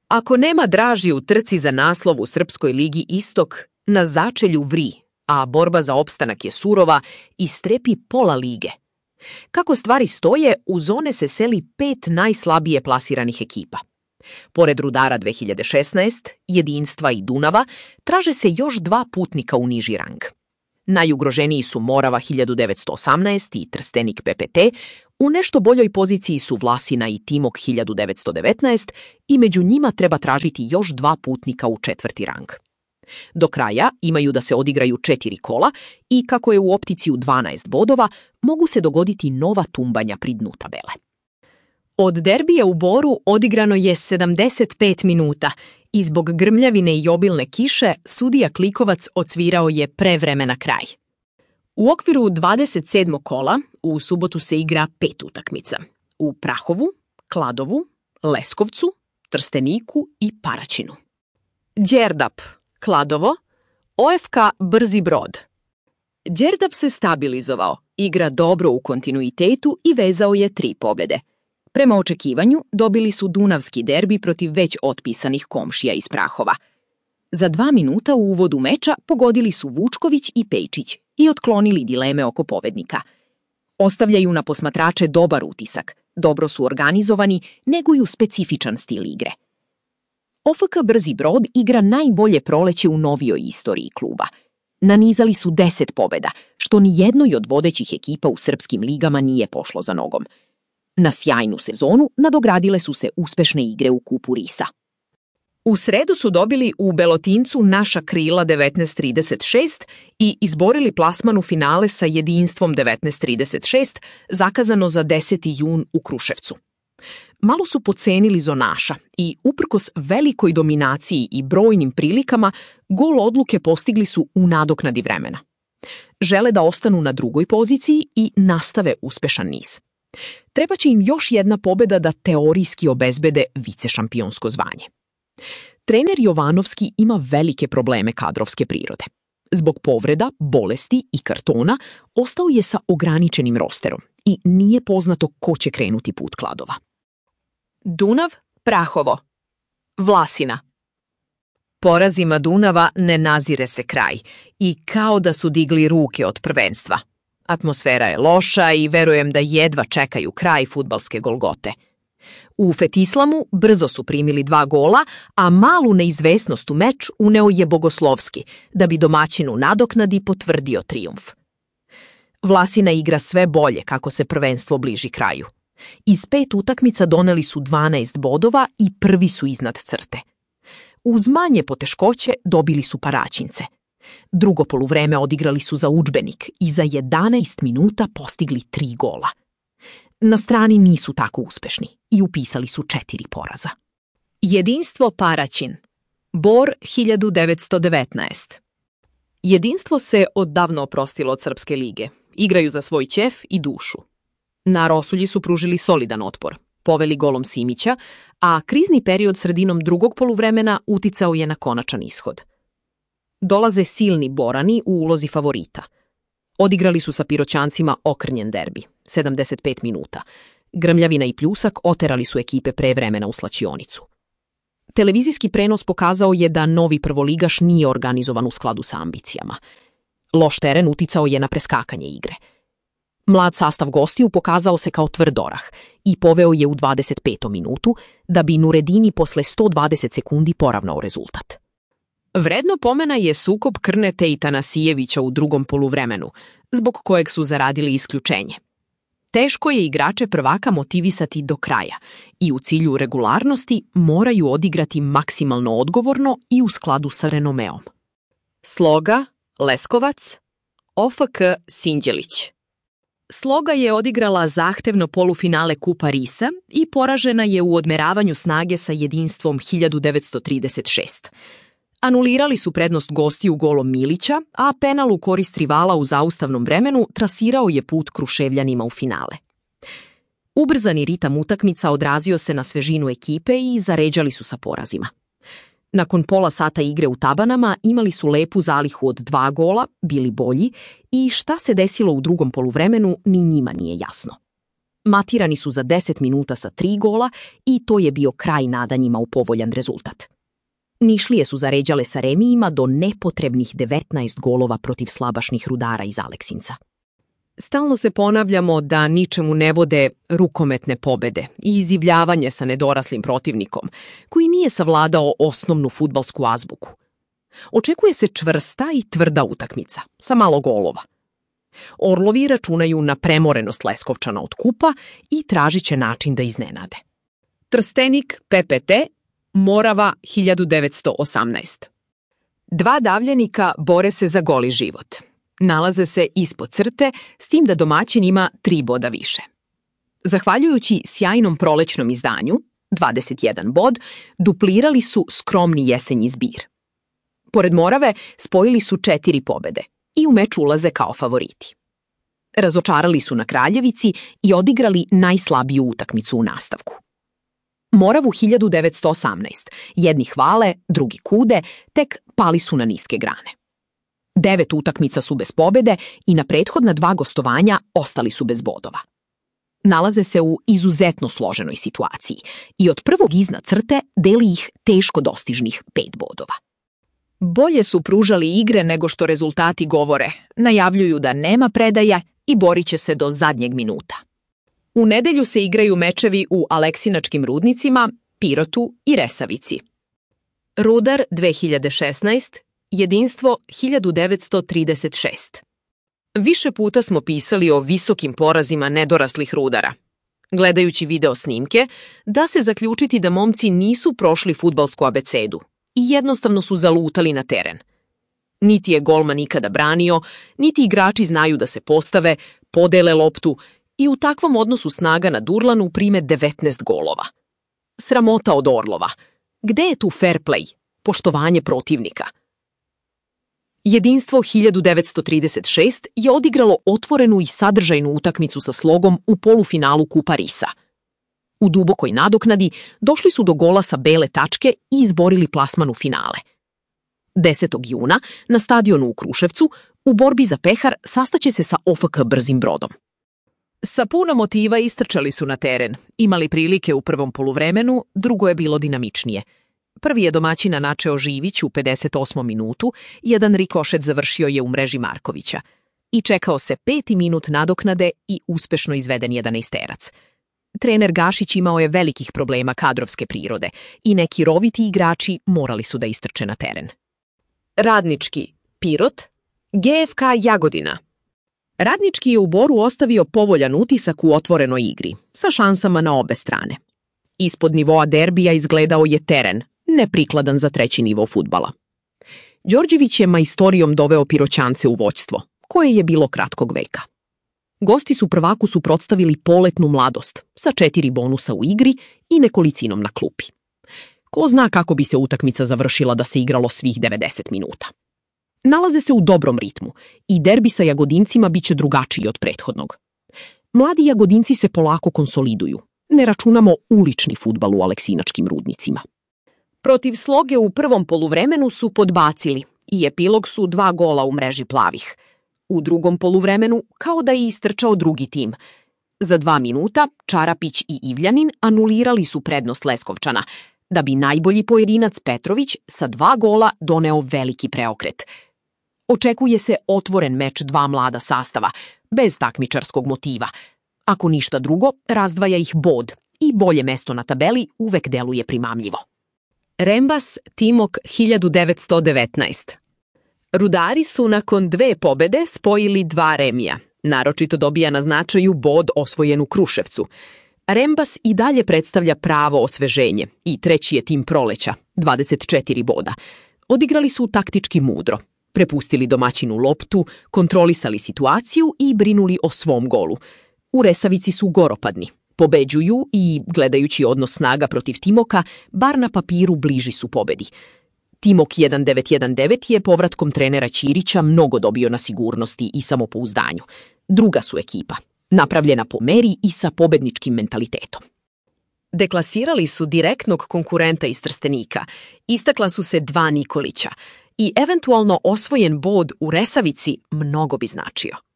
Ako nema draži u trci za naslov u Srpskoj ligi Istok, na začelju vri, a borba za opstanak je surova i strepi pola lige. Kako stvari stoje, u zone se seli 5 najslabije plasiranih ekipa. Pored Rudara 2016, Jedinstva i Dunava, traže se još 2 putnika u niži rang. Najugroženiji su Morava 1918 i Trstenik PPT, u nešto boljoj poziciji su Vlasina i Timok 1919 i među njima treba tražiti još 2 putnika u 4. rang. Do kraja imaju da se odigraju 4 kola i kako je u opticiju 12 bodova, mogu se dogoditi nova tumbanja pri dnu tabele. Od derbija u Boru odigrano je 75 minuta i zbog grmljavine i obilne kiše sudija Klikovac odsvirao je prevremena kraj. U okviru 27. kola u subotu se igra 5 utakmica. U Prahovu, Kladovu, Leskovcu, Trsteniku i Paraćinu. Đerdap, Kladovo, OFK Brzi Brod. Đerdap se stabilizovao, igra dobro u kontinuitetu i vezao je 3 pobjede. Prema očekivanju dobili su dunavski derbi protiv već otpisanih komšija iz Prahova. Za 2 minuta u uvodu meča pogodili su Vučković i Pejčić i otklonili dileme oko pobednika. Ostavljaju na posmatrače dobar utisak, dobro su organizovani, neguju specifičan stil igre. OFK Brzi Brod igra najbolje proleće u novijoj istoriji kluba. Nanizali su 10 pobjeda, što ni jednoj od vodećih ekipa u srpskim ligama nije pošlo za nogom. Na sjajnu sezonu nadogradile su se uspešne igre u Kupu Risa. U sredu su dobili u Belotincu naša krila 1936 i izborili plasman u finale sa Jedinstvom 1936, zakazano za 10. jun u Kruševcu. Malo su pocenili zonaša i uprkos velikoj dominaciji i brojnim prilikama, gol odluke postigli su u nadoknadi vremena. Žele da ostanu na 2. poziciji i nastave uspešan niz. Trebaće im još jedna pobjeda da teorijski obezbede vicešampionsko zvanje. Trener Jovanovski ima velike probleme kadrovske prirode. Zbog povreda, bolesti i kartona ostao je sa ograničenim rosterom i nije poznato ko će krenuti put Kladova. Dunav, Prahovo. Vlasina. Porazima Dunava ne nazire se kraj i kao da su digli ruke od prvenstva. Atmosfera je loša i verujem da jedva čekaju kraj fudbalske golgote. U Fetislamu brzo su primili 2 gola, a malu neizvesnost u meč uneo je Bogoslovski, da bi domaćinu nadoknadi potvrdio trijumf. Vlasina igra sve bolje kako se prvenstvo bliži kraju. Iz 5 utakmica doneli su 12 bodova i prvi su iznad crte. Uz manje poteškoće dobili su Paraćince. Drugo poluvreme odigrali su za udžbenik i za 11 minuta postigli 3 gola. Na strani nisu tako uspešni i upisali su 4 poraza. Jedinstvo Paraćin. Bor 1919. Jedinstvo se odavno oprostilo od Srpske lige. Igraju za svoj ćef i dušu. Na Rosulji su pružili solidan otpor, poveli golom Simića, a krizni period sredinom drugog poluvremena uticao je na konačan ishod. Dolaze silni Borani u ulozi favorita. Odigrali su sa Piroćancima okrnjen derbi, 75 minuta. Grmljavina i Pljusak oterali su ekipe pre vremena u slačionicu. Televizijski prenos pokazao je da novi prvoligaš nije organizovan u skladu sa ambicijama. Loš teren uticao je na preskakanje igre. Mlad sastav gostiju pokazao se kao tvrd orah i poveo je u 25. minutu, da bi Nuredini posle 120 sekundi poravnao rezultat. Vredno pomena je sukob Krnete i Tanasijevića u drugom poluvremenu, zbog kojeg su zaradili isključenje. Teško je igrače prvaka motivisati do kraja i u cilju regularnosti moraju odigrati maksimalno odgovorno i u skladu sa renomeom. Sloga, Leskovac, OFK Sinđelić. Sloga je odigrala zahtevno polufinale Kupa Risa i poražena je u odmeravanju snage sa Jedinstvom 1936. Anulirali su prednost gostiju golom Milića, a penal u korist rivala u zaustavnom vremenu trasirao je put Kruševljanima u finale. Ubrzani ritam utakmica odrazio se na svežinu ekipe i zaređali su sa porazima. Nakon pola sata igre u tabanama imali su lepu zalihu od 2 gola, bili bolji i šta se desilo u drugom poluvremenu ni njima nije jasno. Matirani su za 10 minuta sa 3 gola i to je bio kraj nadanjima u povoljan rezultat. Nišlije su zaređale sa remijima do nepotrebnih 19 golova protiv slabašnih Rudara iz Aleksinca. Stalno se ponavljamo da ničemu ne vode rukometne pobede i izivljavanje sa nedoraslim protivnikom, koji nije savladao osnovnu fudbalsku azbuku. Očekuje se čvrsta i tvrda utakmica, sa malo golova. Orlovi računaju na premorenost Leskovčana od kupa i tražit će način da iznenade. Trstenik, PPT, Morava 1918. Dva davljenika bore se za goli život. Nalaze se ispod crte, s tim da domaćin ima 3 boda više. Zahvaljujući sjajnom prolećnom izdanju, 21 bod, duplirali su skromni jesenji zbir. Pored Morave spojili su 4 pobede i u meč ulaze kao favoriti. Razočarali su na Kraljevici i odigrali najslabiju utakmicu u nastavku. Moravu 1918, jedni hvale, drugi kude, tek pali su na niske grane. 9 utakmica su bez pobede i na prethodna 2 gostovanja ostali su bez bodova. Nalaze se u izuzetno složenoj situaciji i od prvog iznad crte deli ih teško dostižnih 5 bodova. Bolje su pružali igre nego što rezultati govore, najavljuju da nema predaja i borit će se do zadnjeg minuta. U nedelju se igraju mečevi u Aleksinačkim Rudnicima, Pirotu i Resavici. Rudar 2016, Jedinstvo 1936. Više puta smo pisali o visokim porazima nedoraslih Rudara. Gledajući video snimke, da se zaključiti da momci nisu prošli fudbalsku abecedu i jednostavno su zalutali na teren. Niti je golman ikada branio, niti igrači znaju da se postave, podele loptu i u takvom odnosu snaga na Durlanu prime 19 golova. Sramota od Orlova. Gde je tu fair play, poštovanje protivnika? Jedinstvo 1936 je odigralo otvorenu i sadržajnu utakmicu sa Slogom u polufinalu Kupa Risa. U dubokoj nadoknadi došli su do gola sa bele tačke i izborili plasman u finale. 10. juna na stadionu u Kruševcu u borbi za pehar sastaće se sa OFK Brzim Brodom. Sa puno motiva istrčali su na teren, imali prilike u prvom poluvremenu, drugo je bilo dinamičnije. Prvi je domaćina načeo Živić u 58. minutu, jedan rikošet završio je u mreži Markovića. I čekao se 5. minut nadoknade i uspešno izveden 11-terac. Trener Gašić imao je velikih problema kadrovske prirode i neki roviti igrači morali su da istrče na teren. Radnički, Pirot, GFK Jagodina. Radnički je u Boru ostavio povoljan utisak u otvorenoj igri, sa šansama na obe strane. Ispod nivoa derbija izgledao je teren, neprikladan za 3. nivo fudbala. Đorđević je majstorijom doveo Piroćance u vođstvo, koje je bilo kratkog veka. Gosti su prvaku suprotstavili poletnu mladost, sa 4 bonusa u igri i nekolicinom na klupi. Ko zna kako bi se utakmica završila da se igralo svih 90 minuta. Nalaze se u dobrom ritmu i derbi sa Jagodincima biće drugačiji od prethodnog. Mladi Jagodinci se polako konsoliduju, ne računamo ulični fudbal u Aleksinačkim Rudnicima. Protiv Sloge u prvom poluvremenu su podbacili i epilog su 2 gola u mreži plavih. U drugom poluvremenu kao da je istrčao drugi tim. Za 2 minuta Čarapić i Ivljanin anulirali su prednost Leskovčana, da bi najbolji pojedinac Petrović sa 2 gola doneo veliki preokret. Očekuje se otvoren meč 2 mlada sastava, bez takmičarskog motiva. Ako ništa drugo, razdvaja ih bod i bolje mesto na tabeli uvek deluje primamljivo. Rembas Timok 1919. Rudari su nakon 2 pobede spojili 2 remija. Naročito dobija na značaju bod osvojen u Kruševcu. Rembas i dalje predstavlja pravo osveženje i 3. je tim proleća, 24 boda. Odigrali su taktički mudro. Prepustili domaćinu loptu, kontrolisali situaciju i brinuli o svom golu. U Resavici su goropadni. Pobeđuju i, gledajući odnos snaga protiv Timoka, bar na papiru bliži su pobedi. Timok 1919 je povratkom trenera Ćirića mnogo dobio na sigurnosti i samopouzdanju. Druga su ekipa, napravljena po meri i sa pobedničkim mentalitetom. Deklasirali su direktnog konkurenta iz Trstenika, istakla su se 2 Nikolića i eventualno osvojen bod u Resavici mnogo bi značio.